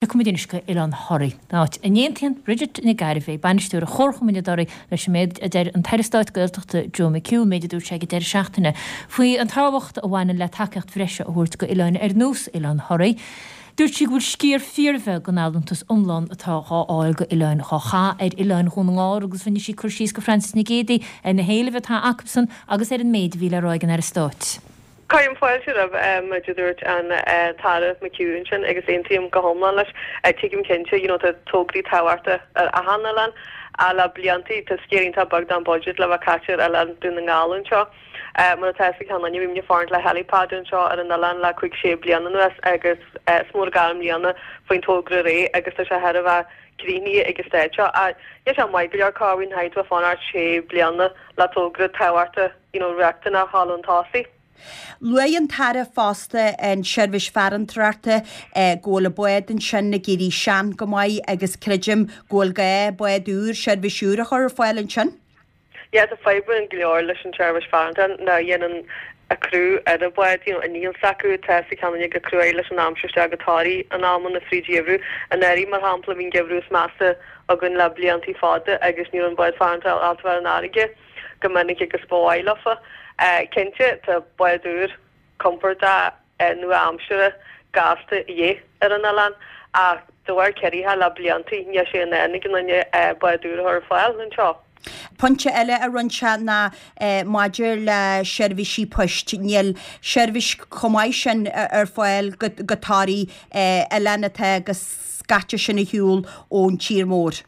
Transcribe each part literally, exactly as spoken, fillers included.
Tiocfaimid anois go Oileán Thoraí, áit a n-aontaíonn Bridget Nic Gairbheith, bainisteoir Chomharchumann i dToraigh, leis an méid a deir an tAire Stáit Gaeltachta Joe McHugh, méid a dúirt sé ag an deireadh seachtaine, faoi an tábhacht a bhaineann le tacaíocht bhreise a thabhairt go oileáin ar nós Oileán Thoraí. Dúirt sí go bhfuil sciar fíorbheag den allúntas iomlán atá dhá fháil go oileáin dhá chaitheamh ar oileáin Dhún na nGall agus rinne sí cur síos go Francis Nic Géadaigh ar na héilimh atá acusan agus ar an méid a bhí le rá ag an Aire Stáit. Cuirim fáilte roimh méid a dúirt an tAire McHugh ansin agus aontaím go hiomlán leis. Tuigim cinnte, you know, tá tograí tábhachtacha ar achan oileán ach le bliantaí tá sciar iontach beag den budget le bheith caite ar oileán Dún na nGall anseo. Mar atá fhios ag achan duine, bhí muid ag fanacht le helipad anseo ar an oileán le cúig sé bliana anuas agus is mór gar i mbliana faoin togra réidh agus tá sé thar a bheith críochnaithe ag an staid seo. Ach níl sé maith go leor cá bhfuil an bheith fanacht sé bliana le togra tábhachtach, you know, riachtanach a chur chun tosaigh. Luaigh an tAire fosta an seirbhís farantóireachta go bhfuil an bád ansin ag éirí sean go maith agus creidim go bhfuil gá bád úr, seirbhís úr a chur ar fáil ansin. Yeah, tá fadhbanna go leor leis an tseirbhís farantóireachta ná dhéanann a criú ar an bhád, you know, an níl s'acu tá sa cheann go cruaidh leis an aimsir isteach go Toraigh in amanna fríd gheimhreadh. Anuraidh mar shampla bhí an geimhreadh is measa againn le bliantaí fada agus ní raibh an bád farantóireachta ábalta bheith ar an fharraige go minic agus ba mhaith leofa. Cinnte tá bád úr compordach nua-aimseartha gasta a dhíth ar an oileán ach de bharr ciorruithe le bliantaí níl sé in ann ag an duine bád úr a chur ar fáil anseo. Pointe eile a rinne sé ná maidir le seirbhísí poist. Níl seirbhís chomh maith sin ar fáil go go Toraigh oileán atá go scaite sin ar shiúl ón tír mór.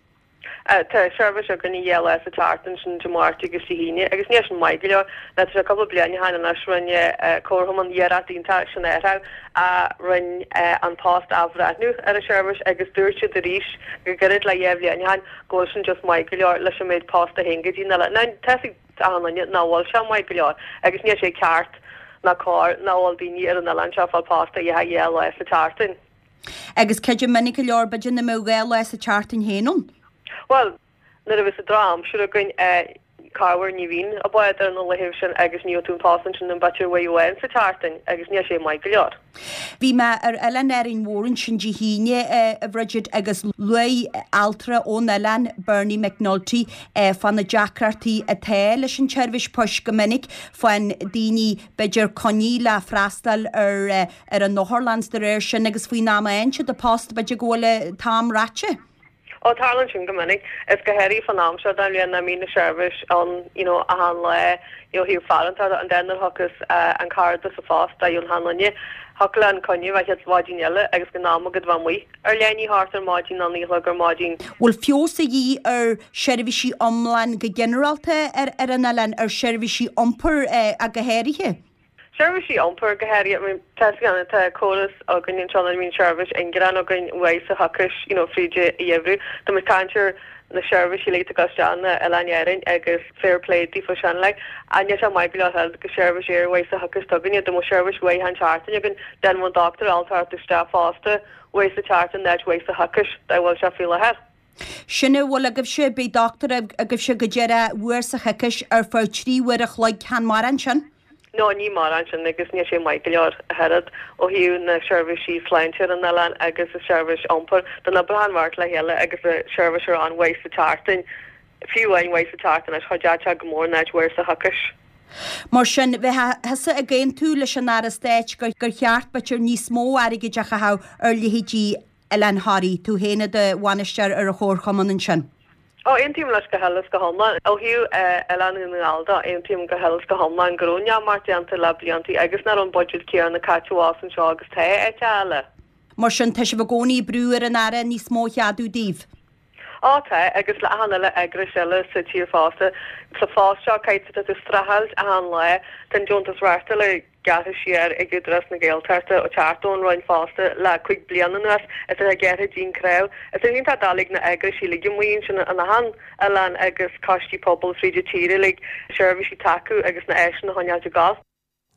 Tá seirbhís againn dhá lá sa tseachtain sin Dé Máirt agus Dé hAoine agus níl sin maith go leor. Tá sé cúpla bliain ó shin anois rinne Comharchumann iarracht iontach sin a a rinne An Post athbhreithniú ar an seirbhís agus dúirt siad arís go gairid le dhá bhliain ó shin go bhfuil sin just maith go leor leis an méid post a théann go dtí na Ná tá achan duine nach bhfuil sé maith go leor agus níl sé ceart ná cóir nach bhfuil daoine ar an oileán seo fáil post a dhéanamh dhá lá sa tseachtain. Agus creidim minic go leor b'fhéidir nach mbeadh dhá lá sa tseachtain féin ann. Well, nuair a bhí sa drochaimsir againn corruair ní bhíonn an bád ar na laethanta sin agus ní tú an post sin an b'fhéidir uair amháin sa tseachtain agus níl sé maith go leor. Bhí mé ar oileán Árainn Mhór ansin Dé hAoine a Bridget agus luaigh altra ón oileán Bernie McNulty fá na deacrachtaí atá leis an tseirbhís poist go minic faigheann daoine b'fhéidir coinní le freastal ar ar an otharlann de réir sin agus faoin am a fhaigheann siad an post b'fhéidir go bhfuil an t-am ráite. Ó tarlaíonn sin go minic is go háirithe fan am seo den bhliain nach mbíonn na seirbhís ann you know achan lá you know thaobh farantóireachta an den thugas an cárta sa phost a dheon han duine thiocfadh le an coinne bheith chéad mhaidin eile agus go n-am agad bheith amuigh ar leith ní thart ar maidin ná naoi a chlog ar maidin. Bhfuil feabhas a dhíth ar seirbhísí iomlán go ginearálta ar ar an oileán ar seirbhísí iompair ach go háirithe? Seirbhísí iompair go háirithe tá tá córas againn anseo na mbíonn seirbhís ingearán againn uaidh sa thiocfas you know fríd a gheimhreadh. Tá muid caint ar na seirbhísí le go na Oileáin Árann agus fair play daofa sin le a níl sé maith go leor go seirbhís air uaidh sa thiocfas tugainne do mo seirbhís uaidh an tseachtain againn den bhfuil doctor altart isteach fosta uaidh sa tseachtain net uaidh sa thiocfas dá bhfuil sé faoi láthair. Sin a bhfuil agaibhse beidh doctor agaibhse go deireadh uair sa choicís ar feadh trí uair a chloig chan mar sin. No ní mar an sin agus níl sé maith go leor a oiread ó thaobh na seirbhísí sláinte ar an oileán agus a seirbhís iompair don obair mhart le chéile agus a seirbhís ar an uaidh sa tseachtain fiú amháin uaidh sa tseachtain leis chuid go mór náid uair sa thiocfas. Mar sin bheith thusa ag aontú leis an Aire Stáit gur gur cheart b'fhéidir níos mó airgid a chaitheamh ar leithéidí Oileán Thoraí, tú féin i do bhainisteoir ar an chomharchumann ansin. Ó aontaím leis go huile is go hiomlán ó thaobh Oileán na nGall de aontaím go huile is go hiomlán go raibh neamart déanta le bliantaí agus nach raibh an budget céanna caite abhus anseo agus tá áit eile. Mar sin tá sibh i gcónaí ag brú ar an Aire níos mó a cheadú daoibh. Á tá agus le achan eile eagrais eile sa tír fosta sa phost seo caithfidh tú streachailt achan lá tá an deontas reachtála gearrtha siar ag Údarás na Gaeltachta ó teacht ón Roinn fosta le cúig bliana anuas is é gearrtha dín craobh. Is é tá doiligh na eagrais uilig amuigh ansin an achan oileán agus coistí pobail fríd an tír uilig seirbhísí tacú agus na áiseanna a choinneáil ag gabháil.